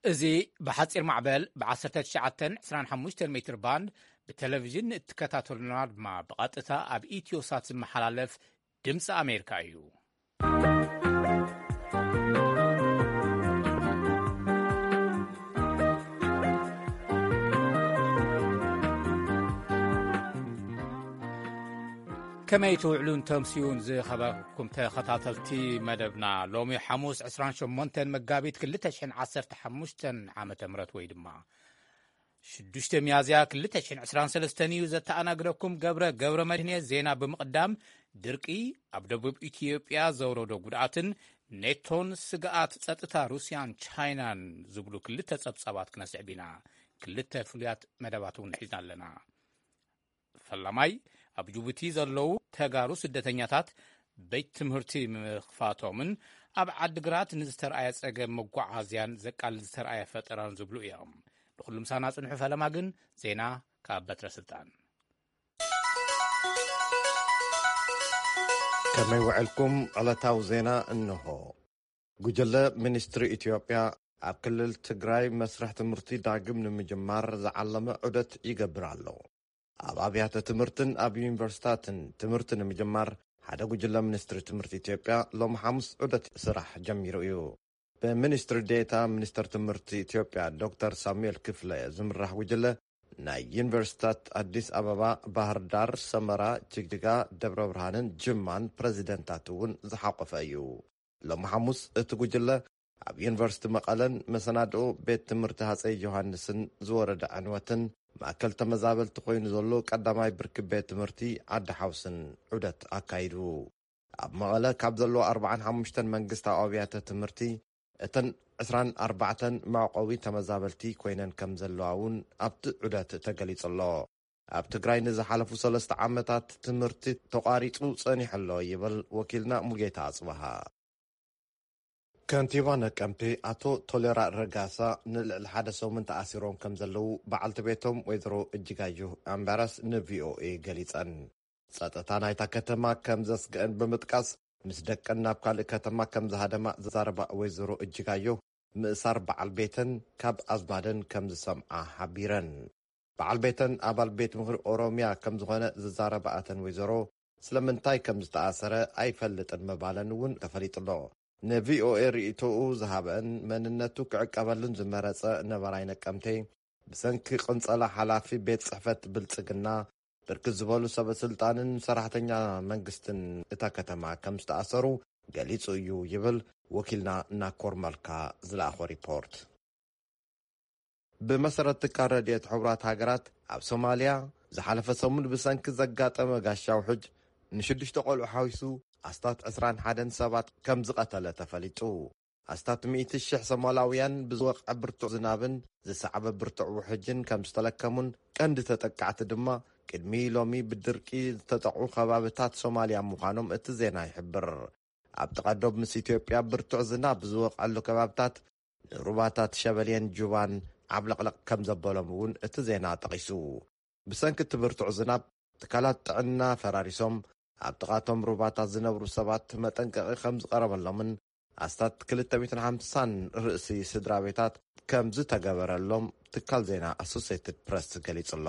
እዚ ብሓጺር ማዕበል ብ19 25 ሜትር ባንድ ብቴሌቪዥን እትከታተሉና ድማ ብቐጥታ ኣብ ኢትዮሳት ዝመሓላለፍ ድምፂ ኣሜሪካ እዩ። ከመይ ትውዕሉን ተምስዩን ዝኸበርኩም ተኸታተልቲ መደብና? ሎሚ ሓሙስ 28 መጋቢት 2015 ዓመተ ምህረት ወይ ድማ 6 ሚያዝያ 2023 እዩ። ዘተኣናግደኩም ገብረ ገብረ መድህን እየ። ዜና ብምቕዳም፣ ድርቂ ኣብ ደቡብ ኢትዮጵያ ዘውረዶ ጉድኣትን ኔቶን ስግኣት ጸጥታ ሩስያን ቻይናን ዝብሉ ክልተ ጸብጻባት ክነስዕብ ኢና። ክልተ ፍሉያት መደባት እውን ሒዝና ኣለና። ፈላማይ፣ ኣብ ጅቡቲ ዘለዉ ተጋሩ ስደተኛታት ቤት ትምህርቲ ምኽፋቶምን ኣብ ዓድግራት ንዝተርኣየ ጸገም መጓዓዝያን ዘቃልል ዝተርኣየ ፈጠራን ዝብሉ እዮም። ንኹሉ ምሳና ጽንሑ። ፈለማ ግን ዜና ካብ በትረ ስልጣን። ከመይ ውዕልኩም? ዕለታዊ ዜና እንሆ። ጉጅለ ሚኒስትሪ ኢትዮጵያ ኣብ ክልል ትግራይ መስርሕ ትምህርቲ ዳግም ንምጅማር ዝዓለመ ዑደት ይገብር ኣሎ። ኣብ ኣብያተ ትምህርትን ኣብ ዩኒቨርሲታትን ትምህርቲ ንምጅማር ሓደ ጉጅለ ሚኒስትሪ ትምህርቲ ኢትዮጵያ ሎም ሓሙስ ዑደት ስራሕ ጀሚሩ እዩ። ብሚኒስትሪ ዴታ ሚኒስትር ትምህርቲ ኢትዮጵያ ዶክተር ሳሙኤል ክፍለ ዝምራሕ ጉጅለ ናይ ዩኒቨርሲታት ኣዲስ ኣበባ፣ ባህር ዳር፣ ሰመራ፣ ጅግጅጋ፣ ደብረ ብርሃንን ጅማን ፕሬዚደንታት እውን ዝሓቆፈ እዩ። ሎም ሓሙስ እቲ ጉጅለ ኣብ ዩኒቨርሲቲ መቐለን መሰናድኦ ቤት ትምህርቲ ሃፀይ ዮሃንስን ዝወረደ ዕንወትን ማእከል ተመዛበልቲ ኮይኑ ዘሎ ቀዳማይ ብርኪ ቤት ትምህርቲ ዓዲ ሓውስን ዑደት ኣካይዱ። ኣብ መቐለ ካብ ዘለዎ 45 መንግስታዊ ኣብያተ ትምህርቲ እተን 24 መዕቆቢ ተመዛበልቲ ኮይነን ከም ዘለዋ እውን ኣብቲ ዑደት ተገሊጹ ኣሎ። ኣብ ትግራይ ንዝሓለፉ ሰለስተ ዓመታት ትምህርቲ ተቋሪጹ ጸኒሑ ኣሎ ይብል ወኪልና ሙጌታ ኣጽበሃ። ከንቲባ ነቀምቴ ኣቶ ቶሌራ ረጋሳ ንልዕሊ ሓደ ሰሙን ተኣሲሮም ከም ዘለዉ በዓልቲ ቤቶም ወይዘሮ እጅጋየሁ ኣምባራስ ንቪኦኤ ገሊጸን። ጸጥታ ናይታ ከተማ ከም ዘስግአን ብምጥቃስ፣ ምስ ደቀን ናብ ካልእ ከተማ ከም ዝሃደማ ዝዛረባ ወይዘሮ እጅጋየሁ፣ ምእሳር በዓል ቤተን ካብ ኣዝማደን ከም ዝሰምዓ ሓቢረን። በዓል ቤተን ኣባል ቤት ምኽሪ ኦሮምያ ከም ዝኾነ ዝዛረባ እተን ወይዘሮ፣ ስለምንታይ ከም ዝተኣሰረ ኣይፈልጥን ምባለን እውን ተፈሊጡ ኣሎ። ንቪኦኤ ርእይቶኡ ዝሃበን መንነቱ ክዕቀበሉን ዝመረጸ ነባራይ ነቀምቴ፣ ብሰንኪ ቅንጸላ ሓላፊ ቤት ጽሕፈት ብልጽግና፣ ብርክት ዝበሉ ሰበ ስልጣንን ሰራሕተኛ መንግስትን እታ ከተማ ከም ዝተኣሰሩ ገሊጹ እዩ ይብል ወኪልና ናኮር መልካ ዝለኣኾ ሪፖርት። ብመሰረት ትካል ረድኤት ሕቡራት ሃገራት፣ ኣብ ሶማልያ ዝሓለፈ ሰሙን ብሰንኪ ዘጋጠመ ጋሻ ውሕጅ ንሽዱሽተ ቆልዑ ሓዊሱ ኣስታት 21 ሰባት ከም ዝቐተለ ተፈሊጡ። ኣስታት 100,000 ሶማላውያን ብዝወቕዐ ብርቱዕ ዝናብን ዝሰዓበ ብርቱዕ ውሕጅን ከም ዝተለከሙን፣ ቀንዲ ተጠቃዕቲ ድማ ቅድሚ ሎሚ ብድርቂ ዝተጠቕዑ ከባብታት ሶማልያ ምዃኖም እቲ ዜና ይሕብር። ኣብ ጥቓ ዶብ ምስ ኢትዮጵያ ብርቱዕ ዝናብ ዝወቕዐሉ ከባብታት ንሩባታት ሸበሌን ጁባን ዓብለቕለቕ ከም ዘበሎም እውን እቲ ዜና ጠቒሱ። ብሰንኪ እቲ ብርቱዕ ዝናብ ትካላት ጥዕና ፈራሪሶም፣ ኣብ ጥቓቶም ሩባታት ዝነብሩ ሰባት መጠንቀቒ ከም ዝቐረበሎምን ኣስታት 250 ርእሲ ስድራ ቤታት ከም ዝተገበረሎም ትካል ዜና ኣሶሴትድ ፕረስ ገሊጹ ኣሎ።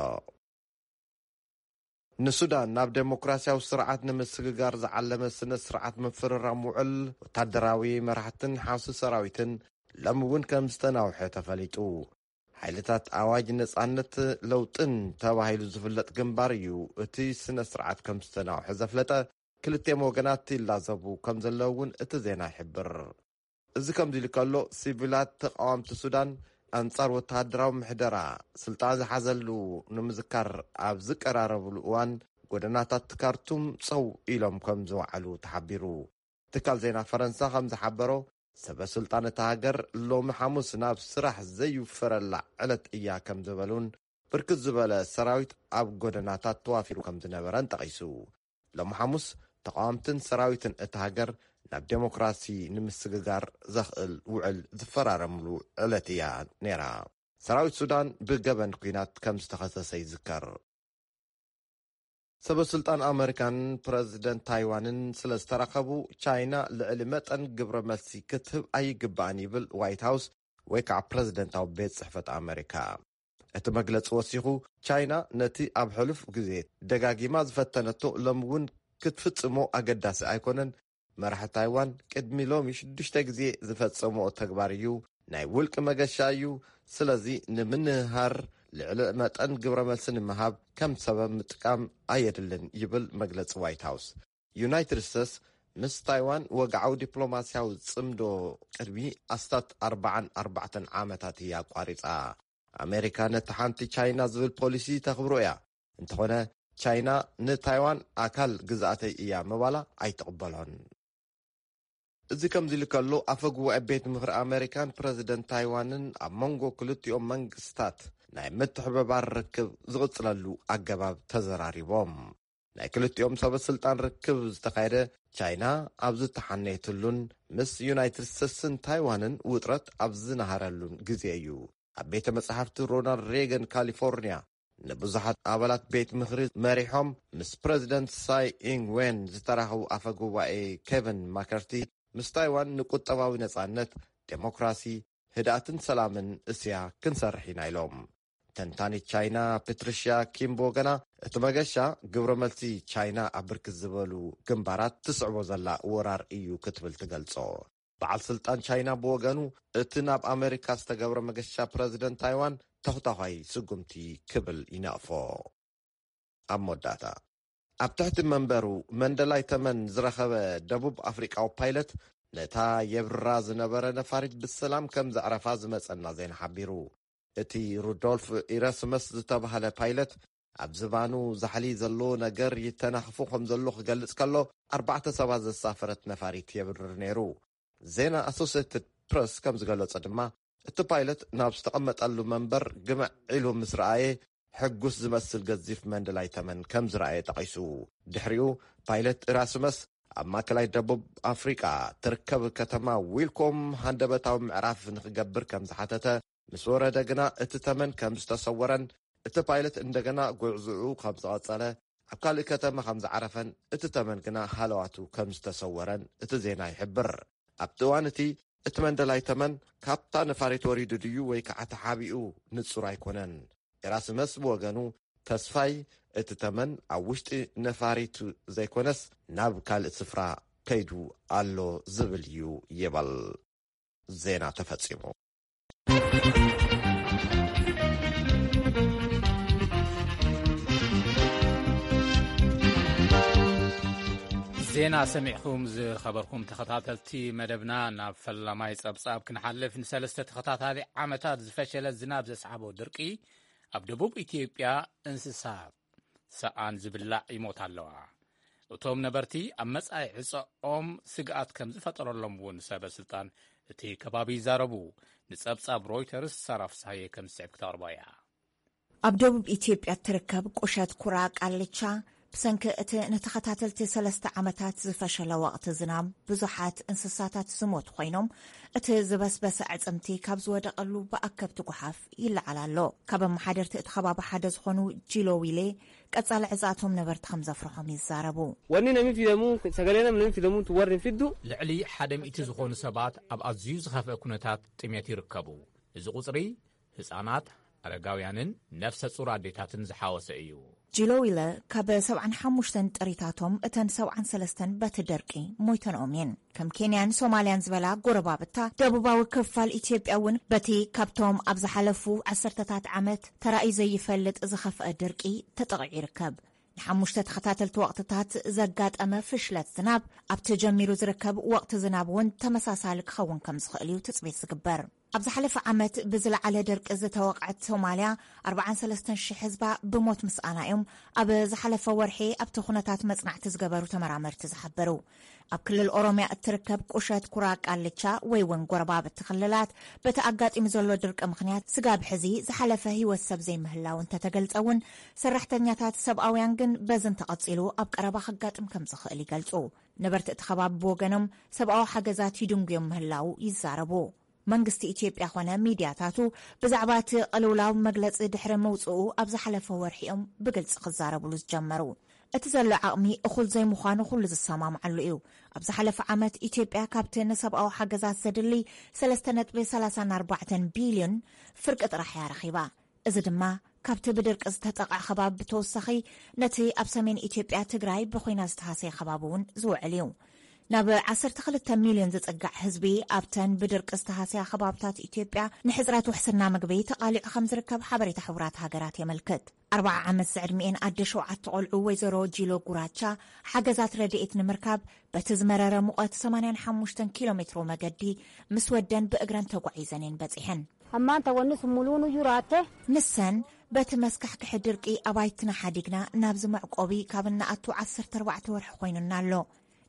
ንሱዳን ናብ ዴሞክራሲያዊ ስርዓት ንምስግጋር ዝዓለመ ስነ ስርዓት ምፍርራም ውዕል ወታደራዊ መራሕትን ሓውሲ ሰራዊትን ሎሚ እውን ከም ዝተናውሐ ተፈሊጡ። ሓይልታት ኣዋጅ ነጻነት ለውጥን ተባሂሉ ዝፍለጥ ግንባር እዩ እቲ ስነ ስርዓት ከም ዝተናውሐ ዘፍለጠ። ክልቲኦም ወገናት ይላዘቡ ከም ዘለዉ እውን እቲ ዜና ይሕብር። እዚ ከምዚ ኢሉ ከሎ፣ ሲቪላት ተቃወምቲ ሱዳን ኣንጻር ወተሃደራዊ ምሕደራ ስልጣን ዝሓዘሉ ንምዝካር ኣብ ዝቀራረብሉ እዋን፣ ጎደናታት ካርቱም ጸው ኢሎም ከም ዝወዓሉ ተሓቢሩ። ትካል ዜና ፈረንሳ ከም ዝሓበሮ፣ ሰበ ስልጣን እታ ሃገር ሎሚ ሓሙስ ናብ ስራሕ ዘይውፈረላ ዕለት እያ ከም ዝበሉን፣ ብርክት ዝበለ ሰራዊት ኣብ ጎደናታት ተዋፊሩ ከም ዝነበረን ጠቒሱ። ሎሚ ሓሙስ ተቃወምትን ሰራዊትን እታ ሃገር ናብ ዴሞክራሲ ንምስግጋር ዘኽእል ውዕል ዝፈራረምሉ ዕለት እያ ነይራ። ሰራዊት ሱዳን ብገበን ኲናት ከም ዝተኸሰሰ ይዝከር። ሰበ ስልጣን ኣመሪካን ፕረዚደንት ታይዋንን ስለ ዝተራኸቡ፣ ቻይና ልዕሊ መጠን ግብረ መልሲ ክትህብ ኣይግባእን ይብል ዋይት ሃውስ ወይ ከዓ ፕረዚደንታዊ ቤት ጽሕፈት ኣመሪካ። እቲ መግለጺ ወሲኹ፣ ቻይና ነቲ ኣብ ሕሉፍ ግዜ ደጋጊማ ዝፈተነቶ ሎም እውን ክትፍጽሞ ኣገዳሲ ኣይኮነን። መራሒ ታይዋን ቅድሚ ሎሚ ሽዱሽተ ግዜ ዝፈጸሞ ተግባር እዩ። ናይ ውልቂ መገሻ እዩ። ስለዚ ንምንሃር ልዕሊ መጠን ግብረ መልሲ ንምሃብ ከም ሰበብ ምጥቃም ኣየድልን ይብል መግለጺ ዋይት ሃውስ። ዩናይትድ ስቴትስ ምስ ታይዋን ወግዓዊ ዲፕሎማስያዊ ጽምዶ ቅድሚ ኣስታት ኣርባዓን ኣርባዕተን ዓመታት እያ ኣቋሪጻ። ኣሜሪካ ነቲ ሓንቲ ቻይና ዝብል ፖሊሲ ተኽብሮ እያ። እንተኾነ ቻይና ንታይዋን ኣካል ግዝኣተይ እያ ምባላ ኣይትቕበሎን። እዚ ከምዚ ኢሉ ከሎ ኣፈ ጉባኤ ቤት ምኽሪ ኣሜሪካን ፕረዚደንት ታይዋንን ኣብ መንጎ ክልቲኦም መንግስታት ናይ ምትሕብባር ርክብ ዝቕጽለሉ ኣገባብ ተዘራሪቦም። ናይ ክልቲኦም ሰበ ስልጣን ርክብ ዝተኻየደ ቻይና ኣብ ዝተሓነየትሉን ምስ ዩናይትድ ስቴትስን ታይዋንን ውጥረት ኣብ ዝነሃረሉን ግዜ እዩ። ኣብ ቤተ መጻሕፍቲ ሮናልድ ሬገን ካሊፎርኒያ ንብዙሓት ኣባላት ቤት ምኽሪ መሪሖም ምስ ፕረዚደንት ሳይ ኢንግ ዌን ዝተራኸቡ ኣፈ ጉባኤ ኬቨን ማከርቲ፣ ምስ ታይዋን ንቁጠባዊ ነጻነት፣ ዴሞክራሲ፣ ህድኣትን ሰላምን እስያ ክንሰርሕ ኢና ኢሎም። ተንታኒት ቻይና ፓትሪሽያ ኪምቦ ገና እቲ መገሻ ግብረ መልሲ ቻይና ኣብ ብርክት ዝበሉ ግንባራት ትስዕቦ ዘላ ወራር እዩ ክትብል ትገልጾ። በዓል ስልጣን ቻይና ብወገኑ እቲ ናብ ኣሜሪካ ዝተገብረ መገሻ ፕረዚደንት ታይዋን ተኹታዃይ ስጉምቲ ክብል ይነቕፎ። ኣብ መወዳእታ ኣብ ትሕቲ መንበሩ መንደላይ ተመን ዝረኸበ ደቡብ ኣፍሪቃዊ ፓይለት ነታ የብርራ ዝነበረ ነፋሪት ብሰላም ከም ዘዕረፋ ዝመጸና ዜና ሓቢሩ። እቲ ሩዶልፍ ኢራስመስ ዝተባህለ ፓይለት ኣብ ዝባኑ ዛሕሊ ዘለዎ ነገር ይተናኽፎ ከም ዘሎ ክገልጽ ከሎ ኣርባዕተ ሰባት ዘሳፈረት ነፋሪት የብርር ነይሩ። ዜና ኣሶሴትድ ፕረስ ከም ዝገለጾ ድማ እቲ ፓይለት ናብ ዝተቐመጠሉ መንበር ግምዕ ኢሉ ምስ ረኣየ ሕጉስ ዝመስል ገዚፍ መንደላይ ተመን ከም ዝረኣየ ጠቒሱ። ድሕሪኡ ፓይለት ኢራስመስ ኣብ ማእከላይ ደቡብ ኣፍሪቃ ትርከብ ከተማ ዊልኮም ሃንደበታዊ ምዕራፍ ንክገብር ከም ዝሓተተ ምስ ወረደ ግና እቲ ተመን ከም ዝተሰወረን እቲ ፓይለት እንደገና ጉዕዝኡ ከም ዝቐጸለ ኣብ ካልእ ከተማ ከም ዝዓረፈን እቲ ተመን ግና ሃለዋቱ ከም ዝተሰወረን እቲ ዜና ይሕብር። ኣብቲ እዋን እቲ እቲ መንደላይ ተመን ካብታ ነፋሪት ወሪዱ ድዩ ወይ ከዓ ተሓቢኡ ንጹር ኣይኮነን። ኤራስመስ ብወገኑ ተስፋይ እቲ ተመን ኣብ ውሽጢ ነፋሪቱ ዘይኮነስ ናብ ካልእ ስፍራ ከይዱ ኣሎ ዝብል እዩ ይበል። ዜና ተፈጺሙ። ዜና ሰሚዕኹም ዝኸበርኩም ተኸታተልቲ መደብና፣ ናብ ፈላማይ ጸብጻብ ክንሓልፍ፣ ንሰለስተ ተኸታታሊ ዓመታት ዝፈሸለ ዝናብ ዘስዓቦ ድርቂ ኣብ ደቡብ ኢትዮጵያ እንስሳ ሰኣን ዝብላዕ ይሞታ ኣለዋ። እቶም ነበርቲ ኣብ መጻኢ ዕጸኦም ስግኣት ከም ዝፈጠረሎም እውን ሰበ ስልጣን እቲ ከባቢ ይዛረቡ። ንጸብጻብ ሮይተርስ ሳራ ፍሳሃየ ከም ዝስዕብ ክተቕርቦ እያ። ኣብ ደቡብ ኢትዮጵያ እትርከብ ቁሸት ኩራ ቃልቻ ብሰንኪ እቲ ንተኸታተልቲ ሰለስተ ዓመታት ዝፈሸለ ወቕቲ ዝናብ ብዙሓት እንስሳታት ዝሞቱ ኮይኖም፣ እቲ ዝበስበሰ ኣዕጽምቲ ካብ ዝወደቐሉ ብኣከብቲ ጓሓፍ ይለዓል ኣሎ። ካብ ኣመሓደርቲ እቲ ከባቢ ሓደ ዝኾኑ ጂሎ ዊሌ ቀጻሊ ዕጻቶም ነበርቲ ከም ዘፍርሖም ይዛረቡ። Wanni namni fidamu, sagalee namni fidamu tu warri fiddu. ልዕሊ ሓደ ሚእቲ ዝኾኑ ሰባት ኣብ ኣዝዩ ዝኸፍአ ኩነታት ጥሜት ይርከቡ። እዚ ቁጽሪ ህጻናት፣ ኣረጋውያንን ነፍሰ ጹር ኣዴታትን ዝሓወሰ እዩ። ጂሎ ዊለ ካብ ሰብዓን ሓሙሽተን ጥሪታቶም እተን ሰብዓን ሰለስተን በቲ ደርቂ ሞይተንኦም እየን። ከም ኬንያን ሶማልያን ዝበላ ጎረባብታ ደቡባዊ ክፋል ኢትዮጵያ እውን በቲ ካብቶም ኣብ ዝሓለፉ ዓሰርተታት ዓመት ተራእዩ ዘይፈልጥ ዝኸፍአ ድርቂ ተጠቒዑ ይርከብ። ንሓሙሽተ ተኸታተልቲ ወቕትታት ዘጋጠመ ፍሽለት ዝናብ ኣብ ተጀሚሩ ዝርከብ ወቕቲ ዝናብ እውን ተመሳሳሊ ክኸውን ከም ዝኽእል እዩ ትጽቢት ዝግበር። ኣብ ዝሓለፈ ዓመት ብዝለዓለ ድርቂ ዝተወቕዐት ሶማልያ ኣርባዓን ሰለስተን ሽሕ ህዝባ ብሞት ምስኣና እዮም ኣብ ዝሓለፈ ወርሒ ኣብቲ ኩነታት መጽናዕቲ ዝገበሩ ተመራመርቲ ዝሓበሩ። ኣብ ክልል ኦሮምያ እትርከብ ቁሸት ኩራ ቃልቻ ወይ እውን ጎረባብቲ ክልላት በቲ ኣጋጢሙ ዘሎ ድርቂ ምኽንያት ስጋብ ሕዚ ዝሓለፈ ህይወት ሰብ ዘይምህላው እንተተገልጸ እውን ሰራሕተኛታት ሰብኣውያን ግን በዚ እንተቐጺሉ ኣብ ቀረባ ከጋጥም ከም ዝኽእል ይገልጹ። ነበርቲ እቲ ከባቢ ብወገኖም ሰብኣዊ ሓገዛት ይድንጉዮም ምህላው ይዛረቡ። መንግስቲ ኢትዮጵያ ኾነ ሚድያታቱ ብዛዕባ እቲ ቅልውላው መግለጺ ድሕሪ ምውጽኡ ኣብ ዝሓለፈ ወርሒ እዮም ብግልጺ ክዛረብሉ ዝጀመሩ። እቲ ዘሎ ዓቕሚ እኹል ዘይምዃኑ ኩሉ ዝሰማምዓሉ እዩ። ኣብ ዝሓለፈ ዓመት ኢትዮጵያ ካብቲ ንሰብኣዊ ሓገዛት ዘድሊ ሰለስተ ነጥቢ ሰላሳ ኣርባዕተ ቢልዮን ፍርቂ ጥራሕ እያ ረኺባ። እዚ ድማ ካብቲ ብድርቂ ዝተጠቕዐ ከባቢ ብተወሳኺ ነቲ ኣብ ሰሜን ኢትዮጵያ ትግራይ ብኹናት ዝተሃሰየ ከባቢ እውን ዝውዕል እዩ። ናብ ዓሰርተ ክልተ ሚልዮን ዝጽጋዕ ህዝቢ ኣብተን ብድርቂ ዝተሃስያ ከባብታት ኢትዮጵያ ንሕጽረት ውሕስና ምግቢ ተቓሊዑ ከም ዝርከብ ሓበሬታ ሕቡራት ሃገራት የመልክት። ኣርባዓ ዓመት ዝዕድሚኤን ኣደ ሸውዓተ ቆልዑ ወይዘሮ ጂሎ ጉራቻ ሓገዛት ረድኤት ንምርካብ በቲ ዝመረረ ሙቐት ሰማንያን ሓሙሽተን ኪሎ ሜትሮ መገዲ ምስ ወደን ብእግረን ተጓዒዘን እየን በጺሐን። Ammaanta wanni sun muluunu juraatte. ንሰን በቲ መስካሕክሒ ድርቂ ኣባይትና ሓዲግና ናብዚ መዕቆቢ ካብ እንኣቱ ዓሰርተ ኣርባዕተ ወርሒ ኮይኑና ኣሎ።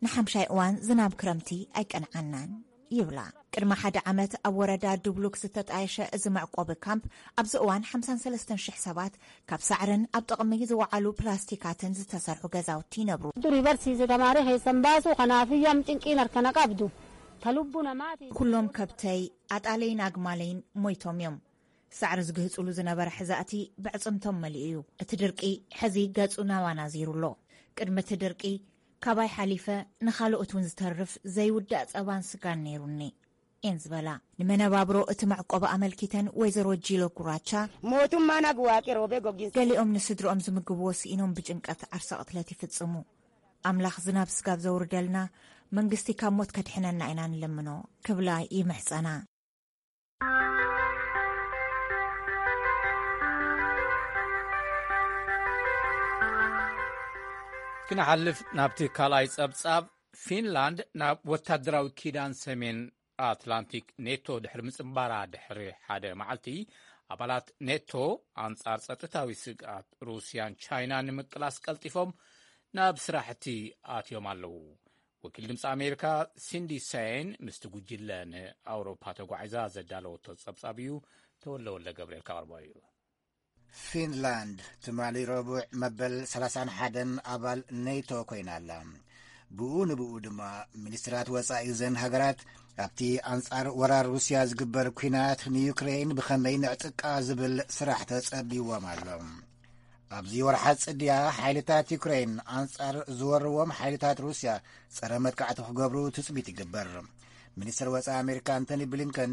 ንሓምሻይ እዋን ዝናብ ክረምቲ ኣይቀንዓናን ይብላ። ቅድሚ ሓደ ዓመት ኣብ ወረዳ ድብሉክ ዝተጣየሸ እዚ መዕቆቢ ካምፕ ኣብዚ እዋን ሓምሳን ሰለስተን ሽሕ ሰባት ካብ ሳዕርን ኣብ ጥቕሚ ዝወዓሉ ፕላስቲካትን ዝተሰርሑ ገዛውቲ ይነብሩ። Durii barsiise tamaaree keessan baasuu kanaaf iyyuu am cinqiin harkana qabdu. Ta lubbu namaati. ኩሎም ከብተይ ኣጣለይን ኣግማለይን ሞይቶም እዮም። ሳዕሪ ዝግህጽሉ ዝነበረ ሕዛእቲ ብዕጽምቶም መሊኡ እዩ። እቲ ድርቂ ሕዚ ገጹ ናባና ዚሩ ኣሎ። ቅድሚ እቲ ድርቂ ካባይ ሓሊፈ ንኻልኦት እውን ዝተርፍ ዘይውዳእ ጸባን ስጋን ነይሩኒ እየን ዝበላ። ንመነባብሮ እቲ መዕቆቢ ኣመልኪተን ወይዘሮ ጂሎ ጉራቻ Mootummaan agwaaqi roobee gogiinsa. ገሊኦም ንስድርኦም ዝምግብዎ ስኢኖም ብጭንቀት ዓርሰ ቅትለት ይፍጽሙ። ኣምላኽ ዝናብ ስጋብ ዘውርደልና መንግስቲ ካብ ሞት ከድሕነና ኢና ንለምኖ ክብላ ይምሕጸና። ክንሓልፍ ናብቲ ካልኣይ ጸብጻብ። ፊንላንድ ናብ ወታደራዊ ኪዳን ሰሜን ኣትላንቲክ ኔቶ ድሕሪ ምጽንባራ ድሕሪ ሓደ መዓልቲ፣ ኣባላት ኔቶ ኣንጻር ጸጥታዊ ስግኣት ሩስያን ቻይናን ንምቅላስ ቀልጢፎም ናብ ስራሕቲ ኣትዮም ኣለዉ። ወኪል ድምፂ ኣሜሪካ ሲንዲ ሰይን ምስቲ ጉጅለ ንኣውሮፓ ተጓዒዛ ዘዳለወቶ ጸብጻብ እዩ። ተወለ ወልደ ገብርኤል ካቕርቦ እዩ። ፊንላንድ ትማሊ ረቡዕ መበል ሰላሳን ሓደን ኣባል ኔቶ ኮይና ኣላ። ብኡ ንብኡ ድማ ሚኒስትራት ወጻኢ ዘን ሃገራት ኣብቲ ኣንጻር ወራር ሩስያ ዝግበር ኲናት ንዩክሬን ብኸመይ ንዕጥቃ ዝብል ስራሕ ተጸቢዎም ኣሎ። ኣብዚ ወርሓ ጽድያ ሓይልታት ዩክሬን ኣንጻር ዝወርዎም ሓይልታት ሩስያ ጸረ መጥቃዕቲ ክገብሩ ትጽቢት ይግበር። ሚኒስትር ወጻኢ ኣሜሪካ ኣንቶኒ ብሊንከን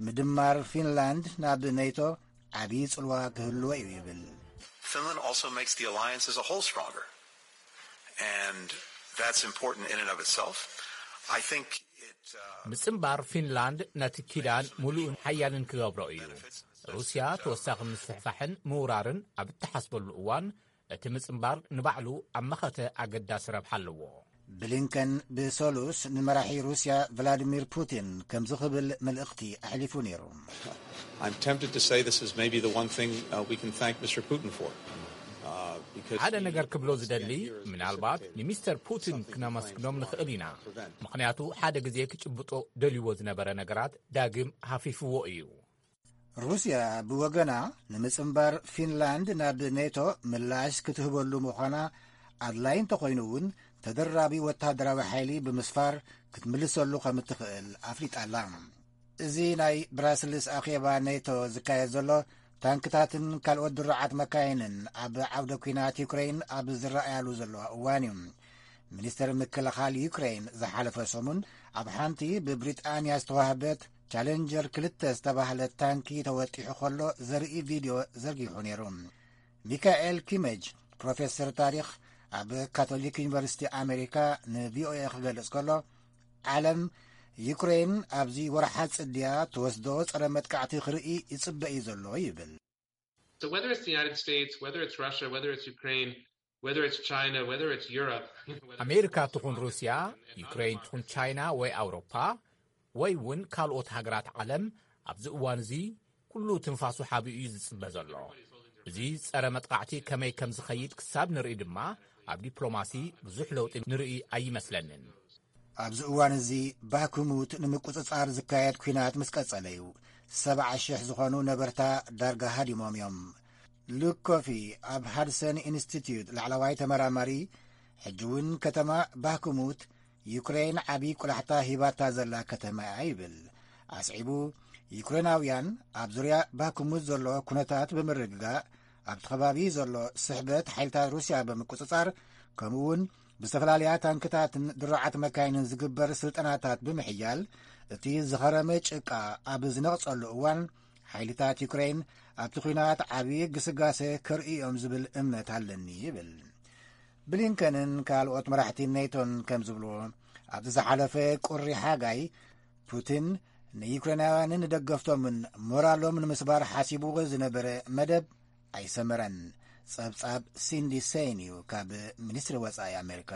ምድማር ፊንላንድ ናብ ኔቶ ዓብዪ ጽልዋ ክህልዎ እዩ ይብል። Finland also makes the alliance as a whole stronger. And that's important in and of itself. I think it, uh, ምጽንባር ፊንላንድ ነቲ ኪዳን ምሉእን ሓያልን ክገብሮ እዩ። ሩስያ ተወሳኺ ምስፍሕፋሕን ምውራርን ኣብ እትሓስበሉ እዋን እቲ ምጽንባር ንባዕሉ ኣብ መኸተ ኣገዳሲ ረብሓ ኣለዎ። ብሊንከን ብሰሉስ ንመራሒ ሩስያ ቭላዲሚር ፑቲን ከምዚ ክብል መልእኽቲ ኣሕሊፉ ነይሩ። I'm tempted to say this is maybe the one thing uh, we can thank Mister Putin for. Uh, because ሓደ ነገር ክብሎ ዝደሊ፣ ምናልባት ንሚስተር ፑቲን ክነመስግኖም ንኽእል ኢና። ምኽንያቱ ሓደ ግዜ ክጭብጦ ደልይዎ ዝነበረ ነገራት ዳግም ሃፊፍዎ እዩ። ሩስያ ብወገና ንምጽንባር ፊንላንድ ናብ ኔቶ ምላሽ ክትህበሉ ምዃና ኣድላይ እንተኾይኑ እውን ተደራቢ ወታደራዊ ሓይሊ ብምስፋር ክትምልሰሉ ከም እትኽእል ኣፍሊጣ ኣላ። እዚ ናይ ብራስልስ ኣኼባ ኔቶ ዝካየድ ዘሎ ታንክታትን ካልኦት ድሩዓት መካይንን ኣብ ዓውደ ኲናት ዩክሬን ኣብ ዝረኣያሉ ዘለዋ እዋን እዩ። ሚኒስተር ምክልኻል ዩክሬን ዝሓለፈ ሰሙን ኣብ ሓንቲ ብብሪጣንያ ዝተዋህበት ቻሌንጀር ክልተ ዝተባህለት ታንኪ ተወጢሑ ከሎ ዘርኢ ቪድዮ ዘርጊሑ ነይሩ። ሚካኤል ኪመጅ ፕሮፌሰር ታሪኽ ኣብ ካቶሊክ ዩኒቨርሲቲ ኣሜሪካ ንቪኦኤ ክገልጽ ከሎ ዓለም ዩክሬን ኣብዚ ወርሓ ጽድያ ትወስዶ ጸረ መጥቃዕቲ ክርኢ ይጽበ እዩ ዘሎ ይብል። So whether it's the United States, whether it's Russia, whether it's Ukraine, whether it's China, whether it's Europe, whether it's ኣሜሪካ ትኹን ሩስያ፣ ዩክሬን ትኹን ቻይና ወይ ኣውሮፓ ወይ እውን ካልኦት ሃገራት ዓለም ኣብዚ እዋን እዚ ኩሉ ትንፋሱ ሓቢኡ እዩ ዝጽበ ዘሎ። እዚ ጸረ መጥቃዕቲ ከመይ ከም ዝኸይድ ክሳብ ንርኢ ድማ ኣብ ዲፕሎማሲ ብዙሕ ለውጢ ንርኢ ኣይመስለንን። ኣብዚ እዋን እዚ ባክሙት ንምቁጽጻር ዝካየድ ኲናት ምስ ቀጸለ እዩ ሰብዓ ሽሕ ዝኾኑ ነበርታ ዳርጋ ሃዲሞም እዮም። ሉክ ኮፊ ኣብ ሃድሰን ኢንስቲትዩት ላዕለዋይ ተመራማሪ፣ ሕጂ እውን ከተማ ባክሙት ዩክሬን ዓብዪ ቁላሕታ ሂባታ ዘላ ከተማ እያ ይብል። ኣስዒቡ ዩክሬናውያን ኣብ ዙርያ ባክሙት ዘሎ ኩነታት ብምርግጋእ ኣብቲ ከባቢ ዘሎ ስሕበት ሓይልታት ሩስያ ብምቁጽጻር ከምኡ እውን ብዝተፈላለያ ታንክታትን ድሩዓት መካይንን ዝግበር ስልጠናታት ብምሕያል፣ እቲ ዝኸረመ ጭቃ ኣብ ዝነቕጸሉ እዋን፣ ሓይልታት ዩክሬን ኣብቲ ኲናት ዓብዪ ግስጋሴ ከርእዩ እዮም ዝብል እምነት ኣለኒ ይብል። ብሊንከንን ካልኦት መራሕቲ ኔቶን ከም ዝብልዎ፣ ኣብቲ ዝሓለፈ ቁሪ ሓጋይ ፑቲን ንዩክሬናውያንን ደገፍቶምን ሞራሎም ንምስባር ሓሲብዎ ዝነበረ መደብ ኣይሰመረን። ጸብጻብ ሲንዲ ሴይን እዩ ካብ ሚኒስትሪ ወጻኢ ኣሜሪካ።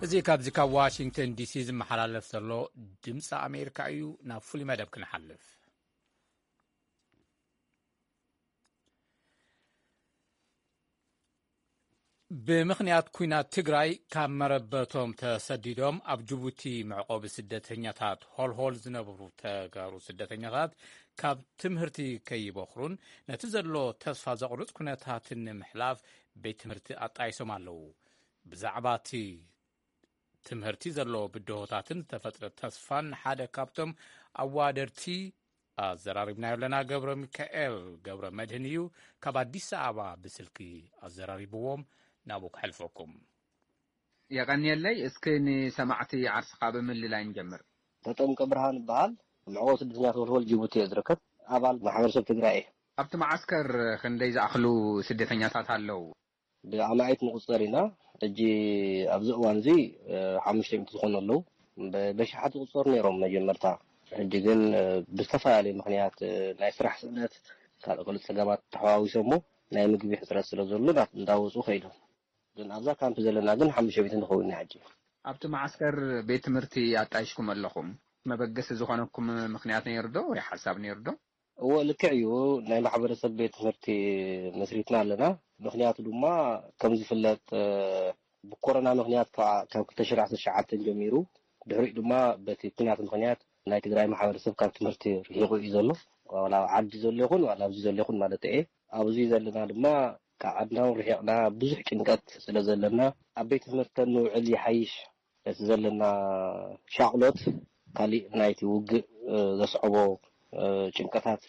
እዚ ካብዚ ካብ ዋሽንግተን ዲሲ ዝመሓላለፍ ዘሎ ድምፂ ኣሜሪካ እዩ። ናብ ፍሉይ መደብ ክንሓልፍ። ብምኽንያት ኲናት ትግራይ ካብ መረበቶም ተሰዲዶም ኣብ ጅቡቲ መዕቆቢ ስደተኛታት ሆልሆል ዝነብሩ ተጋሩ ስደተኛታት ካብ ትምህርቲ ከይበኽሩን ነቲ ዘሎ ተስፋ ዘቑርጽ ኩነታትን ንምሕላፍ ቤት ትምህርቲ ኣጣይሶም ኣለዉ። ብዛዕባ እቲ ትምህርቲ ዘሎ ብድሆታትን ዝተፈጥረ ተስፋን ሓደ ካብቶም ኣዋደርቲ ኣዘራሪብናዮ ኣለና። ገብረ ሚካኤል ገብረ መድህን እዩ፣ ካብ ኣዲስ ኣበባ ብስልኪ ኣዘራሪብዎም። ናብኡ ከሕልፈኩም። የቐንየለይ። እስኪ ንሰማዕቲ ዓርስኻ ብምልላይ ንጀምር። ተጠምቀ ብርሃን እበሃል። መዕቆቢ ስደተኛታት ወልወል ጅቡቲ እየ ዝርከብ። ኣባል ማሕበረሰብ ትግራይ እየ። ኣብቲ መዓስከር ክንደይ ዝኣኽሉ ስደተኛታት ኣለዉ? ብኣማኢት ንቑጸር ኢና። ሕጂ ኣብዚ እዋን እዚ ሓሙሽተ ሚእቲ ዝኾኑ ኣለዉ። በሽሓት ዝቑጸሩ ነይሮም መጀመርታ። ሕጂ ግን ብዝተፈላለየ ምኽንያት፣ ናይ ስራሕ ስእነት፣ ካልእ ካልእ ጸገማት ተሓዋዊሶሞ ናይ ምግቢ ሕጽረት ስለ ዘሎ እንዳወፁ ከይዶም። ግን ኣብዛ ካምፕ ዘለና ግን ሓሙሽተ ሚእቲ ንኸውን ኢና ሕጂ። ኣብቲ መዓስከር ቤት ትምህርቲ ኣጣይሽኩም ኣለኹም። መበገሲ ዝኾነኩም ምኽንያት ነይሩ ዶ ወይ ሓሳብ ነይሩ ዶ? እዎ፣ ልክዕ እዩ። ናይ ማሕበረሰብ ቤት ትምህርቲ መስሪትና ኣለና። ምኽንያቱ ድማ ከም ዝፍለጥ፣ ብኮሮና ምኽንያት ካብ ክልተ ሽሕን ዓሰርተ ትሽዓተን ጀሚሩ፣ ድሕሪኡ ድማ በቲ ኲናት ምኽንያት ናይ ትግራይ ማሕበረሰብ ካብ ትምህርቲ ርሒቑ እዩ ዘሎ። ዋላ ኣብ ዓዲ ዘሎ ይኹን ዋላ ኣብዚ ዘሎ ይኹን ማለት እየ። ኣብዚ ዘለና ድማ ካብ ዓድና እውን ርሒቕና ብዙሕ ጭንቀት ስለ ዘለና ኣብ ቤት ትምህርቲ ንውዕል ይሓይሽ። እቲ ዘለና ሻቕሎት ካሊእ ናይቲ ውግእ ዘስዕቦ ጭንቀታት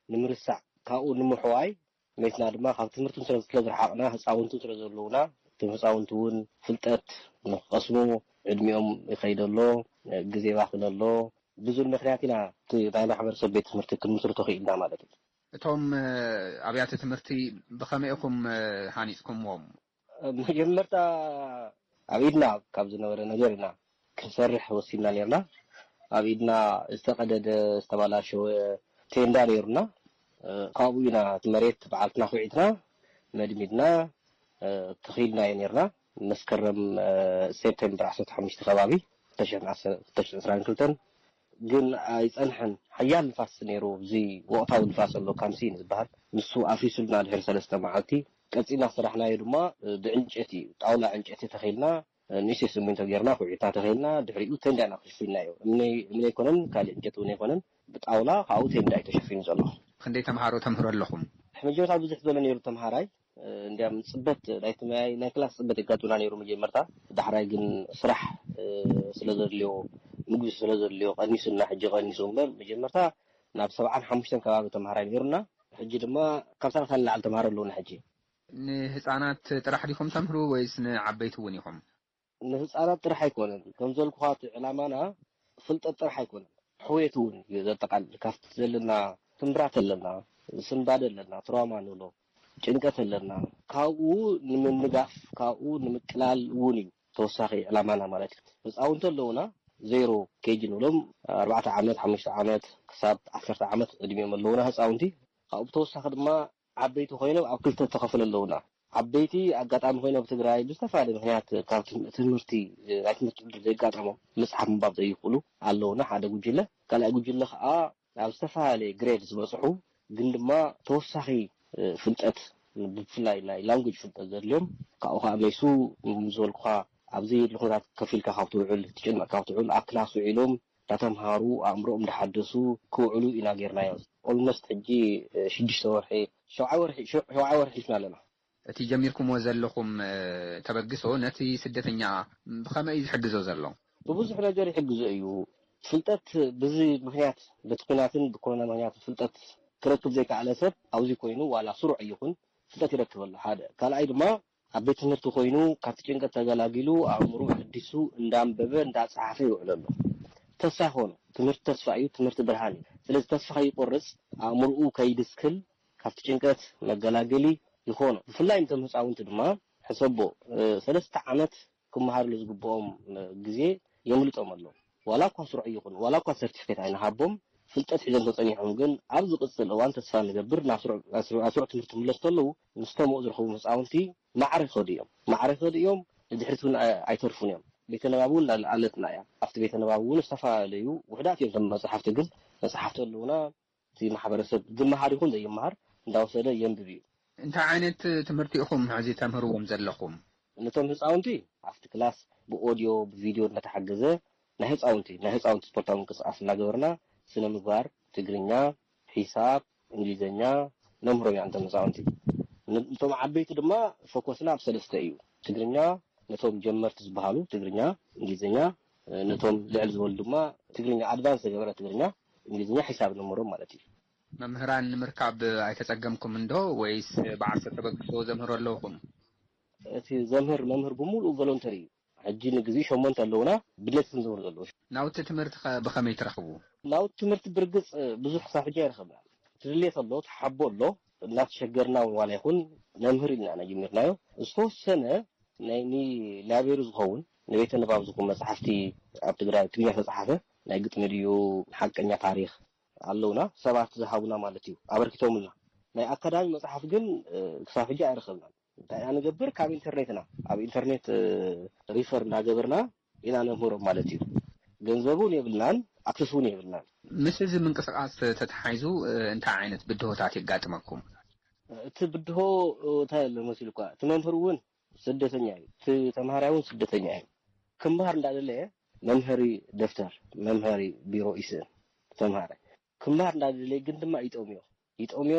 ንምርሳዕ ካብኡ ንምሕዋይ መይትና ድማ ካብ ትምህርቲ ስለ ዝረሓቕና ህፃውንቲ ስለ ዘለውና እቶም ህፃውንቲ እውን ፍልጠት ንክቐስሙ ዕድሚኦም ይኸይድ ኣሎ፣ ግዜ ይባኽን ኣሎ። ብዙል ምክንያት ኢና እቲ ናይ ማሕበረሰብ ቤት ትምህርቲ ክንምስርቶ ክኢልና ማለት እዩ። እቶም ኣብያተ ትምህርቲ ብኸመይ ኢኹም ሃኒፅኩምዎም? መጀመርታ ኣብ ኢድና ካብ ዝነበረ ነገር ኢና ክንሰርሕ ወሲንና ነርና። ኣብ ኢድና ዝተቐደደ ዝተባላሸወ ቴንዳ ነይሩና። ካብኡ ኢና እቲ መሬት ባዕልትና ኩዒትና መድሚድና ተኺልናዮ ነርና። መስከረም ሴፕቴምበር ዓሰርተ ሓሙሽተ ከባቢ ክልተ ሽሕን ዕስራን ክልተን ግን ኣይጸንሐን። ሓያል ንፋስ ነይሩ። እዚ ወቕታዊ ንፋስ ኣሎ፣ ካምሲን ዝበሃል፣ ንሱ ኣፍሪሱልና ድሕሪ ሰለስተ መዓልቲ። ቀጺልና ዝሰራሕናዮ ድማ ብዕንጨቲ፣ ጣውላ ዕንጨቲ ተኺልና፣ ንእሽተይ ስሚንቶ ጌርና፣ ኩዒትና ተኺልና፣ ድሕሪኡ ተንዳ ኢና ከሽፊናዮ። እምኒ፣ እምኒ ኣይኮነን፣ ካልእ ዕንጨቲ እውን ኣይኮነን፣ ብጣውላ ካብኡ ተንዳ እዩ ተሸፊኑ ዘሎ። ክንደይ ተምሃሮ ተምህሩ ኣለኹም? መጀመርታ ብዙሕ ዝበለ ነይሩ ተምሃራይ፣ እንዲያም ጽበት ናይ ትማይ ናይ ክላስ ጽበት የጋጥምና ነይሩ መጀመርታ። ዳሕራይ ግን ስራሕ ስለ ዘድልዮ፣ ምግቢ ስለ ዘድልዮ ቀኒሱና፣ ሕጂ ቀኒሱ እምበር መጀመርታ ናብ ሰብዓን ሓሙሽተን ከባቢ ተምሃራይ ነይሩና። ሕጂ ድማ ካብ ሰላሳ ንላዕሊ ተምሃሮ ኣለዉና። ሕጂ ንህፃናት ጥራሕ ዲኹም ተምህሩ ወይስ ንዓበይቲ እውን ኢኹም? ንህፃናት ጥራሕ ኣይኮነን። ከም ዘልኩኻ እቲ ዕላማና ፍልጠት ጥራሕ ኣይኮነን፣ ሕውየት እውን እዩ ዘጠቓልል። ካብቲ ዘለና ስምብራት ኣለና፣ ስንባደ ኣለና፣ ትራውማ ንብሎ ጭንቀት ኣለና። ካብኡ ንምንጋፍ፣ ካብኡ ንምቅላል እውን እዩ ተወሳኺ ዕላማና ማለት እዩ። ህፃውንቲ ኣለውና፣ ዜሮ ኬጂ ንብሎም፣ ኣርባዕተ ዓመት፣ ሓሙሽተ ዓመት ክሳብ ዓሰርተ ዓመት ዕድሚኦም ኣለውና ህፃውንቲ። ካብኡ ብተወሳኺ ድማ ዓበይቲ ኮይኖም ኣብ ክልተ ተኸፍሉ ኣለውና። ዓበይቲ ኣጋጣሚ ኮይኖም ኣብ ትግራይ ብዝተፈላለየ ምክንያት ካብ ትም-፣ ትምህርቲ፣ ናይ ትምህርቲ ዕድል ዘይጋጠሞም፣ ምፅሓፍ ምንባብ ዘይኽእሉ ኣለውና ሓደ ጉጅለ። ካልኣይ ጉጅለ ከዓ ኣብ ዝተፈላለየ ግሬድ ዝበፅሑ ግን ድማ ተወሳኺ፣ እ፣ ፍልጠት ብፍላይ ናይ ላንጉጅ ፍልጠት ዘድልዮም ካብኡ ከዓ መይሱ ምስ ዝበልኩኻ ኣብ ዘየድሊ ኩነታት ከፊልካ ካብ ትውዕል ትጭነቕ ካብ ትውዕል ኣብ ክላስ ውዒሎም እንዳተምሃሩ ኣእምሮኦም እንዳሓደሱ ክውዕሉ ኢና ጌርናዮም። ኦልሞስት ሕጂ፣ እ፣ ሽዱሽተ ወርሒ፣ ሸውዓይ ወርሒ፣ ሸው-፣ ሸውዓይ ወርሒ ሒዝና ኣለና። እቲ ጀሚርኩምዎ ዘለኹም፣ እ፣ ተበግሶ ነቲ ስደተኛ ብኸመይ እዩ ዝሕግዞ ዘሎ? ብብዙሕ ነገር ይሕግዞ እዩ። ፍልጠት ብዚ ምኽንያት፣ በቲ ኲናትን ብኮሮና ምኽንያት ፍልጠት ክረክብ ዘይከኣለ ሰብ ኣብዚ ኮይኑ ዋላ ስሩዕ ይኹን ፍልጠት ይረክብ ኣሎ። ሓደ ካልኣይ ድማ ኣብ ቤት ትምህርቲ ኮይኑ ካብቲ ጭንቀት ተገላጊሉ ኣእምሮ ሕዲሱ እንዳንበበ እንዳፀሓፈ ይውዕል ኣሎ። ተስፋ ይኾኖ። ትምህርቲ ተስፋ እዩ። ትምህርቲ ብርሃን እዩ። ስለዚ ተስፋ ከይቆርፅ ኣእምሮኡ ከይድስክል ካብቲ ጭንቀት መገላገሊ ይኾኖ። ብፍላይ ንቶም ህፃውንቲ ድማ ሕሰቦ ሰለስተ ዓመት ክመሃርሉ ዝግብኦም ግዜ የምልጦም ኣሎ። ዋላ እኳ ስሩዕ ይኹን ዋላ እኳ ሰርቲፊኬት ኣይንሃቦም፣ ፍልጠት ሒዞም ተፀኒሖም ግን ኣብ ዝቕፅል እዋን ተስፋ ንገብር ናብ ስሩዕ ትምህርቲ ክምለሱ ከለዉ ምስቶም ኣብኡ ዝረኸቡ ህፃውንቲ ማዕረ ይኸዱ እዮም። ማዕረ ይኸዱ እዮም። ንድሕሪት እውን ኣይተርፉን እዮም። ቤተ ንባብ እውን ኣለትና እያ። ኣብቲ ቤተ ንባብ እውን ዝተፈላለዩ ውሕዳት እዮም እቶም መፅሓፍቲ፣ ግን መፅሓፍቲ ኣለዉና። እቲ ማሕበረሰብ ዝመሃር ይኹን ዘይመሃር እንዳወሰደ የንብብ እዩ። እንታይ ዓይነት ትምህርቲ ኢኹም ሕዚ ተምህርዎም ዘለኹም? ነቶም ህፃውንቲ ኣብቲ ክላስ ብኦድዮ ብቪድዮ እናተሓገዘ ናይ ህፃውንቲ ናይ ህፃውንቲ ስፖርታዊ ምንቅስቃስ እናገበርና ስነ ምግባር፣ ትግርኛ፣ ሒሳብ፣ እንግሊዝኛ ነምህሮም ኢና ነቶም ህፃውንቲ። ነቶም ዓበይቲ ድማ ፎኮስና ኣብ ሰለስተ እዩ። ትግርኛ ነቶም ጀመርቲ ዝበሃሉ ትግርኛ፣ እንግሊዝኛ፣ ነቶም ልዕል ዝበሉ ድማ ትግርኛ ኣድቫንስ ዝገበረ ትግርኛ፣ እንግሊዝኛ፣ ሒሳብ ነምህሮም ማለት እዩ። መምህራን ንምርካብ ኣይተጸገምኩም እንዶ ወይስ ብዓርሰ ተበግሶ ዘምህሩ ኣለውኹም? እቲ ዘምህር መምህር ብምሉኡ ቮሎንተሪ እዩ። ሕጂ ንግዜኡ ሸሞንተ ኣለውና፣ ብድሌት እዮም ዘምህሩ ዘለዉ። ናውቲ ትምህርቲ ከ ብኸመይ ትረኽቡ? ናውቲ ትምህርቲ ብርግጽ ብዙሕ ክሳብ ሕጂ ኣይረኸብናን። እቲ ድሌት ኣሎ፣ እቲ ሓቦ ኣሎ። እናተሸገርና እውን ዋላ ይኹን ነምህር ኢልና ኢና ጀሚርናዮ። ዝተወሰነ ናይ ኒ ላይብረሪ ዝኸውን ንቤተ ንባብ ዝኸውን መጽሓፍቲ ኣብ ትግራይ ትግርኛ ዝተጻሓፈ ናይ ግጥሚ ድዩ ሓቀኛ ታሪኽ ኣለውና ሰባት ዝሃቡና ማለት እዩ ኣበርኪቶምልና። ናይ ኣካዳሚ መጽሓፍ ግን ክሳብ ሕጂ ኣይረኸብናን። እንታይ ኢና ንገብር? ካብ ኢንተርኔት ኢና ኣብ ኢንተርኔት ሪፈር እናገበርና ኢና ነምህሮም ማለት እዩ። ገንዘቡን የብልናን ኣክሰስ እውን የብልናን። ምስ እዚ ምንቅስቃስ ተተሓሒዙ እንታይ ዓይነት ብድሆታት የጋጥመኩም? እቲ ብድሆ እንታይ ኣሎ መሲልኳ? እቲ መምህር እውን ስደተኛ እዩ። እቲ ተምሃራይ እውን ስደተኛ እዩ። ክምሃር እንዳደለየ መምሃሪ ደፍተር፣ መምሃሪ ቢሮ ይስእን። ተምሃራይ ክምሃር እንዳደለየ ግን ድማ ይጠምዮ። ይጠምዮ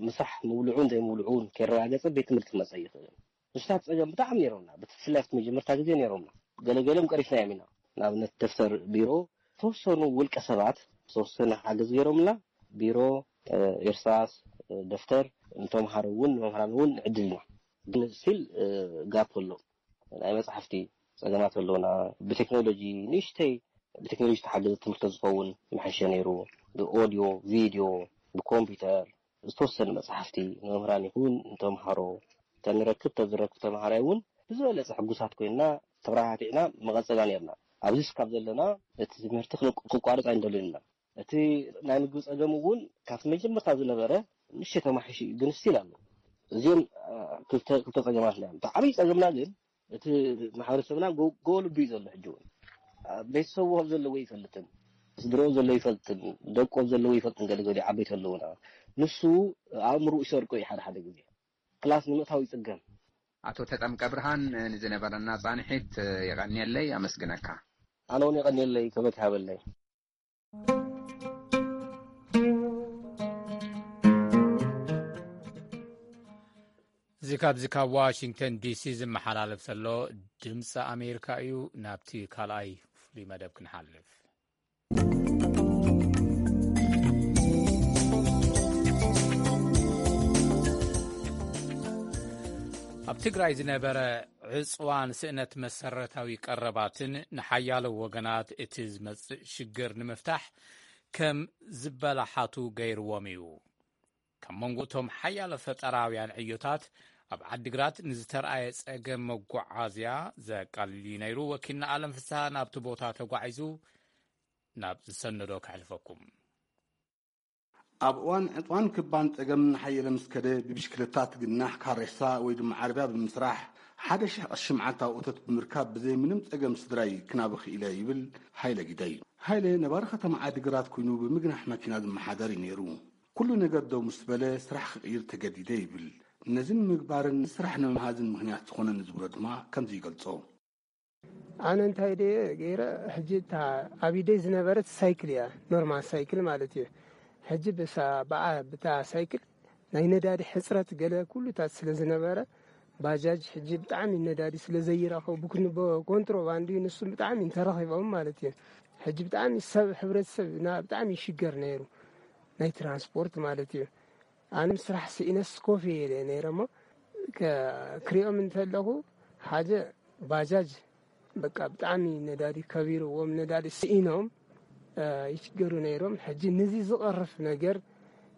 ምሳሕ ምብልዑን ዘይምብልዑን ከይረጋገጸ ቤት ትምህርቲ ክመጸ ይኽእል። ንስታት ጸገም ብጣዕሚ ነይሮምና። ብፍላይ ኣብቲ መጀመርታ ግዜ ነይሮምና። ገለገሎም ቀሪፍናዮም ኢና። ንኣብነት ደፍተር ቢሮ ዝተወሰኑ ውልቀ ሰባት ዝተወሰነ ሓገዝ ገይሮምና። ቢሮ፣ እርሳስ፣ ደፍተር ንተምሃሮ እውን ንመምህራን እውን ንዕድል ኢና። ግን ስቲል ጋፕ ኣሎ። ናይ መፅሓፍቲ ፀገማት ኣለውና። ብቴክኖሎጂ ንእሽተይ ብቴክኖሎጂ ዝተሓገዘ ትምህርቲ ዝኸውን መሐሸ ነይሩ። ብኦድዮ፣ ቪድዮ፣ ብኮምፒውተር ዝተወሰነ መፅሓፍቲ ንመምህራን ይኹን ንተምሃሮ ተንረክብ ተዝረክብ ተምሃራይ እውን ብዝበለፀ ሕጉሳት ኮይንና ተብራህቲዕና መቐፀልና ነርና። ኣብዚ ስካብ ዘለና እቲ ትምህርቲ ክቋርፅ ኣይንደልን ኢና። እቲ ናይ ምግቢ ጸገም እውን ካብቲ መጀመርታ ዝነበረ ንእሽተይ ተማሒሹ እዩ፣ ግን ስቲል ኣሎ። እዚኦም ክልተ ክልተ ጸገማት እዮም። እቲ ዓብዪ ጸገምና ግን እቲ ማሕበረሰብና ጎ- ጎልቡ እዩ ዘሎ። ሕጂ እውን ቤተሰቡ ከም ዘለዎ ይፈልጥን ስድረኡ ዘሎ ይፈልጥን ደቆም ዘለዎ ይፈልጥን ገለ ገሊኡ ዓበይቲ ኣለውና። ንሱ ኣእምርኡ ይሰርቆ እዩ። ሓደ ሓደ ግዜ ክላስ ንምእታው ይጽገም። ኣቶ ተጠምቀ ብርሃን ንዝነበረና ጻንሒት የቐንየለይ፣ ኣመስግነካ። ኣነ እውን የቐንየለይ፣ ክብረት ይሃበለይ። እዚ ካብዚ ካብ ዋሽንግተን ዲሲ ዝመሓላለፍ ዘሎ ድምፂ ኣሜሪካ እዩ። ናብቲ ካልኣይ ፍሉይ መደብ ክንሓልፍ። ኣብ ትግራይ ዝነበረ ዕፅዋን ስእነት መሰረታዊ ቀረባትን ንሓያሎ ወገናት እቲ ዝመፅእ ሽግር ንምፍታሕ ከም ዝበላሓቱ ገይርዎም እዩ። ካብ መንጎ እቶም ሓያሎ ፈጠራውያን ዕዮታት ኣብ ዓዲግራት ንዝተርኣየ ፀገም መጓዓዝያ ዘቃልል እዩ ነይሩ። ወኪልና ኣለም ፍስሃ ናብቲ ቦታ ተጓዒዙ ናብ ዝሰነዶ ከሕልፈኩም። ኣብ እዋን ዕፅዋን ክባን ፀገም እናሓየለ ምስ ከደ ብብሽክለታ ትግናሕ ካሬሳ ወይ ድማ ዓረብያ ብምስራሕ ሓደ ሽሕ ቅርሺ መዓልታዊ እቶት ብምርካብ ብዘይ ምንም ፀገም ስድራይ ክናቢ ክኢለ ይብል ሃይለ ግደይ። ሃይለ ነባሪ ከተማ ዓዲግራት ኮይኑ ብምግናሕ መኪና ዝመሓደር እዩ ነይሩ። ኩሉ ነገር ደው ምስ በለ ስራሕ ክቕይር ተገዲደ ይብል። ነዚ ንምግባርን ንስራሕ ንምምሃዝን ምኽንያት ዝኾነኒ ዝብሎ ድማ ከምዚ ይገልጾ። ኣነ እንታይ ደየ ገይረ ሕጂ እታ ኣብ ኢደይ ዝነበረት ሳይክል እያ ኖርማል ሳይክል ማለት እዩ። ሕጂ ብሳ ብኣ ብታ ሳይክል ናይ ነዳዲ ሕፅረት ገለ ኩሉታት ስለ ዝነበረ ባጃጅ ሕጂ ብጣዕሚ ነዳዲ ስለ ዘይረኸቡ ብኩንቦ ኮንትሮባንድ እዩ፣ ንሱም ብጣዕሚ እንተረኺቦም ማለት እዩ። ሕጂ ብጣዕሚ ሰብ፣ ሕብረተሰብ ና ብጣዕሚ ይሽገር ነይሩ፣ ናይ ትራንስፖርት ማለት እዩ። ኣነ ስራሕ ስኢነስ ኮፍ ኢለ ነይረ እሞ፣ ከ- ክሪኦም እንተለኹ፣ ሓደ ባጃጅ በቃ ብጣዕሚ ነዳዲ ከቢርዎም፣ ነዳዲ ስኢኖም፣ እ፣ ይሽገሩ ነይሮም። ሕጂ ነዚ ዝቐርፍ ነገር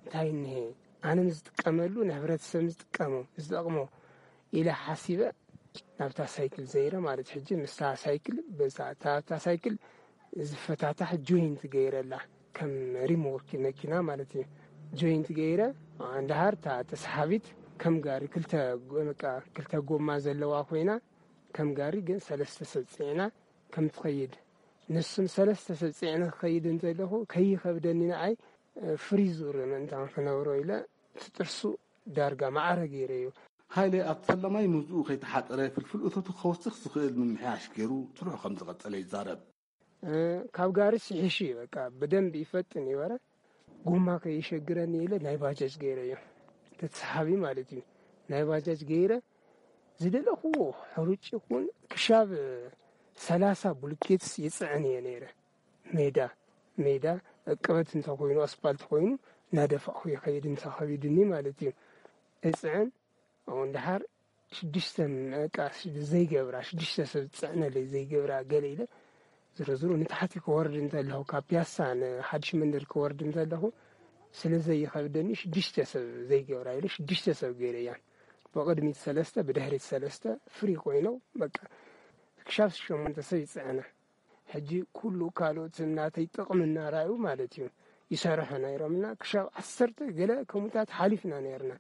እንታይ እኒሄ? ኣነ ዝጥቀመሉ፣ ንሕብረተሰብ ዝጥቀሞ፣ ዝጠቕሞ ኢለ ሓሲበ፣ ናብታ ሳይክል ዘይረ ማለት። ሕጂ ምስታ ሳይክል፣ በዛ፣ እታ፣ እታ ሳይክል ዝፈታታሕ ጆይንት ገይረላ፣ ከም ሪም ወርክ መኪና ማለት እዩ። ጆይንት ገይረ፣ እንድሃር እታ ተሰሓቢት ከም ጋሪ ክልተ ጎ-፣ በቃ ክልተ ጎማ ዘለዋ ኮይና፣ ከም ጋሪ ግን ሰለስተ ሰብ ጽዒና ከም ትኸይድ። ንሱም ሰለስተ ሰብ ጽዒነ ክኸይድ እንተለኹ፣ ከይኸብደኒ ንዓይ፣ እ፣ ፍሪዙር ምእንታን ክነብሮ ኢለ፣ እቲ ጥርሱ ዳርጋ ማዕረ ገይረዮ። ሃይለ ኣብቲ ፈላማይ ምህዝኡ ከይተሓጠረ ፍልፍል እቶቱ ከወስኽ ዝኽእል ምምሕያሽ ገይሩ ስርሑ ከም ዝቐጸለ ይዛረብ። እ፣ ካብ ጋሪ ስሒሹ እዩ፣ በቃ ብደንብ ይፈጥን ይበረ። ጎማ ከይሸግረኒ ኢለ ናይ ባጃጅ ገይረዮ። ተተሰሓቢ ማለት እዩ። ናይ ባጃጅ ገይረ ዝደለኹዎ ሕሩጭ ይኹን ክሻብ ሰላሳ ቡልኬትስ ይጽዕን እየ ነይረ። ሜዳ፣ ሜዳ እቅበት እንተኾይኑ፣ ኣስፓልት ኮይኑ፣ እናደፋእኹ ይኸይድ እንተ ኸቢድኒ ማለት እዩ። እጽዕን፣ ኣብኡ እንድሓር ሽዱሽተ፣ በቃ፣ ዘይገብራ፣ ሽዱሽተ ሰብ ዝጽዕነለይ ዘይገብራ ገለ ኢለ፣ ዝሮ ዝሮ ንታሕቲ ክወርድ እንተለኹ፣ ካብ ፒያሳ ንሓድሽ መንደር ክወርድ እንተለኹ፣ ስለ ዘይኸብደኒ፣ ሽዱሽተ ሰብ ዘይገብራ ኢለ፣ ሽዱሽተ ሰብ ገይረያ። ብቕድሚት ሰለስተ፣ ብድሕሪት ሰለስተ፣ ፍሪ ኮይኖም፣ በቃ፣ ክሻብ ሸሞንተ ሰብ ይጽዕና። ሕጂ ኩሉ ካልኦት ናተይ ጥቕሚ እናረኣዩ ማለት እዩ፣ ይሰርሑ ነይሮምና፣ ክሻብ ዓሰርተ ገለ ከምኡታት ሓሊፍና ነይርና።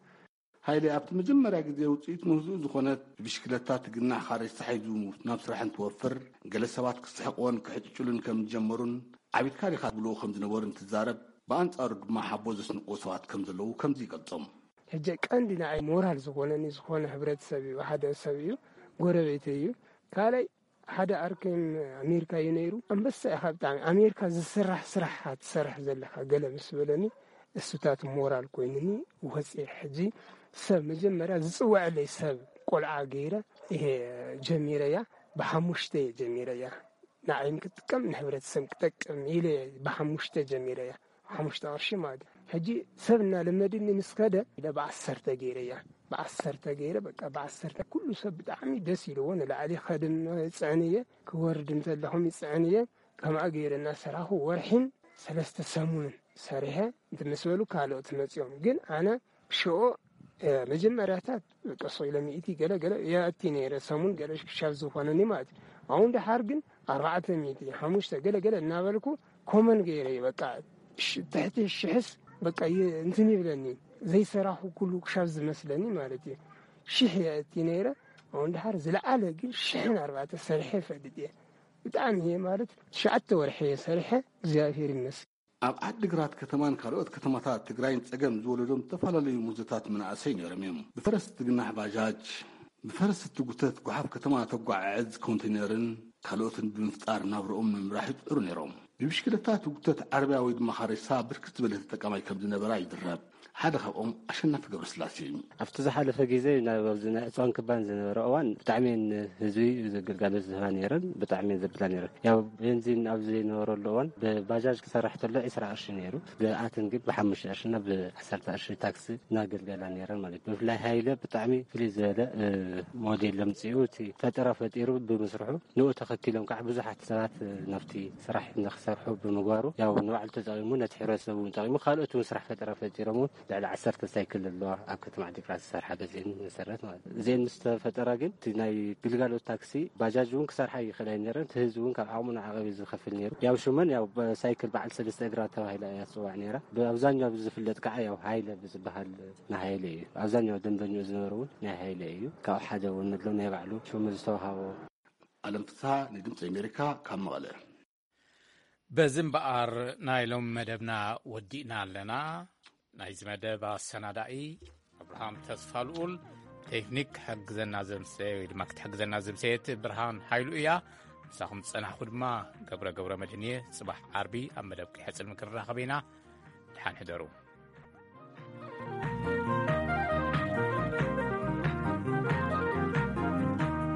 ሃይለ ኣብቲ መጀመርያ ግዜ ውጽኢት ምህዝኡ ዝኾነት ብሽክለታ ትግናሕ ካሬሳ ሒዙ ናብ ስራሕ እንትወፍር፣ ገለ ሰባት ክስሕቕዎን ክሕጭጭሉን ከም ዝጀመሩን ዓቢድካ ዲኻ ዝብልዎ ከም ዝነበሩ እንትዛረብ፣ ብኣንጻሩ ድማ ሓቦ ዘስንቑ ሰባት ከም ዘለዉ ከምዚ ይገልጾም። ሕጂ ቀንዲ ንዓይ ሞራል ዝኾነኒ ዝኾነ ሕብረተሰብ እዩ፣ ሓደ ሰብ እዩ፣ ጎረቤተይ እዩ። ካልኣይ ሓደ ኣርከይም ኣሜሪካ እዩ ነይሩ። ኣንበሳ ኢኻ ብጣዕሚ፣ ኣሜሪካ ዝስራሕ ስራሕ ትሰርሕ ዘለኻ ገለ ምስ በለኒ፣ እሱታት ሞራል ኮይኑኒ ወፂአ። ሕጂ ሰብ መጀመርያ ዝፅውዐለይ ሰብ ቆልዓ ገይረ እየ ጀሚረያ። ብሓሙሽተ እየ ጀሚረያ። ንዓይም ክጥቀም ንሕብረተሰብ ክጠቅም ኢለ ብሓሙሽተ ጀሚረያ። ሓሙሽተ ቅርሺ ማለት እዩ። ሕጂ ሰብ እናለመድኒ ምስ ከደ ኢለ ብዓሰርተ ገይረያ። ብዓሰርተ ገይረ፣ በቃ ብዓሰርተ ኩሉ ሰብ ብጣዕሚ ደስ ኢልዎ፣ ንላዕሊ ከድም ይጽዕን እየ፣ ክወርድ እንተለኹም ይጽዕን እየ። ከምኣ ገይረ እናሰራኹ ወርሒን ሰለስተ ሰሙንን ሰሪሐ፣ እንት ምስ በሉ ካልኦት መጺኦም። ግን ኣነ ሽኦ፣ እ፣ መጀመርያታት በቃ ሶ ኢለ ሚእቲ ገለ ገለ የእቲ ነይረ፣ ሰሙን ገለ ክሻብ ዝኾነኒ ማለት እዩ። ኣብኡ እንድሓር ግን ኣርባዕተ ሚእቲ፣ ሓሙሽተ ገለ ገለ እናበልኩ ኮመን ገይረ እዩ። በቃ ሽ-፣ ትሕቲ ሽሕስ በቃ ይ-፣ እንትን ይብለኒ፣ ዘይሰራኹ ኩሉ ክሻብ ዝመስለኒ ማለት እዩ። ሽሕ የእቲ ነይረ፣ ኣብኡ እንድሓር ዝለዓለ ግን ሽሕን ኣርባዕተ ሰሪሐ ይፈልጥ እየ። ብጣዕሚ እየ ማለት ትሽዓተ ወርሒ እየ ሰሪሐ፣ እግዚኣብሔር ይመስገን። ኣብ ዓዲግራት ከተማን ካልኦት ከተማታት ትግራይን ጸገም ዝወለዶም ዝተፈላለዩ ሙዞታት መናእሰይ ነይሮም እዮም። ብፈረስ ትግናሕ ባጃጅ፣ ብፈረስ ትጉተት ጓሓፍ ከተማ ተጓዓዕዝ ኮንቴነርን ካልኦትን ብምፍጣር ናብርኦም ንምምራሕ ይጽዕሩ ነይሮም። ብብሽክለታ ትጉተት ዓረብያ ወይ ድማ ካሬሳ ብርክት ዝበለ ተጠቃማይ ከም ዝነበራ ይዝረብ። ሓደ ካብኦም ኣሸናፊ ገብረስላሴ እዩ። ኣብቲ ዝሓለፈ ግዜ ናብ ኣብዚ ናይ ዕፅዋን ክባን ዝነበረ እዋን ብጣዕሚ እየን ህዝቢ ግልጋሎት ዝህባ ነይረን፣ ብጣዕሚ እየን ዘብላ ነይረን። ያው ቤንዚን ኣብ ዘይነበረሉ እዋን ብባጃጅ ክሰርሕ ተሎ ዒስራ ቅርሺ ነይሩ፣ ብኣተን ግን ብሓሙሽተ ቅርሺ እና ብዓሰርተ ቅርሺ ታክሲ እናገልገላ ነይረን ማለት እዩ። ብፍላይ ሃይለ ብጣዕሚ ፍልይ ዝበለ፣ እ፣ ሞዴል ለምፂኡ እቲ ፈጠራ ፈጢሩ ብምስርሑ ንኡ ተኸቲሎም ከዓ ብዙሓት ሰባት ናብቲ ስራሕ ንክሰርሑ ብምግባሩ ያው ንባዕሉ ተጠቒሙ ነቲ ሕብረተሰብ እውን ጠቒሙ ካልኦት እውን ስራሕ ፈጠራ ፈጢሮም እውን ልዕሊ ዓሰርተ ሳይክል ኣለዋ ኣብ ከተማ ዓዲግራት ዝሰርሓ በዚአን መሰረት ማለት እዩ። እዚአን ምስ ተፈጠራ ግን እቲ ናይ ግልጋሎት ታክሲ ባጃጅ እውን ክሰርሓ ይኽእላ ነይረን። እቲ ህዝቢ እውን ካብ ዓቕሙ ንዓቐብ እዩ ዝኸፍል ነይሩ። ያው ሽመን ያው ሳይክል በዓል ሰለስተ እግራ ተባሂላ እያ ትፅዋዕ ነይራ። ብኣብዛኛው ዝፍለጥ ከዓ ያው ሃይለ ብዝበሃል ናይ ሃይለ እዩ። ኣብዛኛው ደንበኛኡ ዝነበረ እውን ናይ ሃይለ እዩ። ካብኡ ሓደ እውን ኣሎ ናይ ባዕሉ ሽሙ ዝተዋሃቦ። ኣለም ፍስሃ ንድምፂ ኣሜሪካ ካብ መቐለ። በዚ እምበኣር ናይ ሎም መደብና ወዲእና ኣለና። ናይዚ መደብ ኣሰናዳኢ ኣብርሃም ተስፋ ልኡል፣ ቴክኒክ ክሕግዘና ዘምሰየ ወይ ድማ ክትሕግዘና ዘምሰየት ብርሃን ሓይሉ እያ። ምሳኹም ዝጸናሕኩ ድማ ገብረ ገብረ መድህን እየ። ጽባሕ ዓርቢ ኣብ መደብ ክሕጽል ምክንራኸብ ኢና። ደሓን ሕደሩ።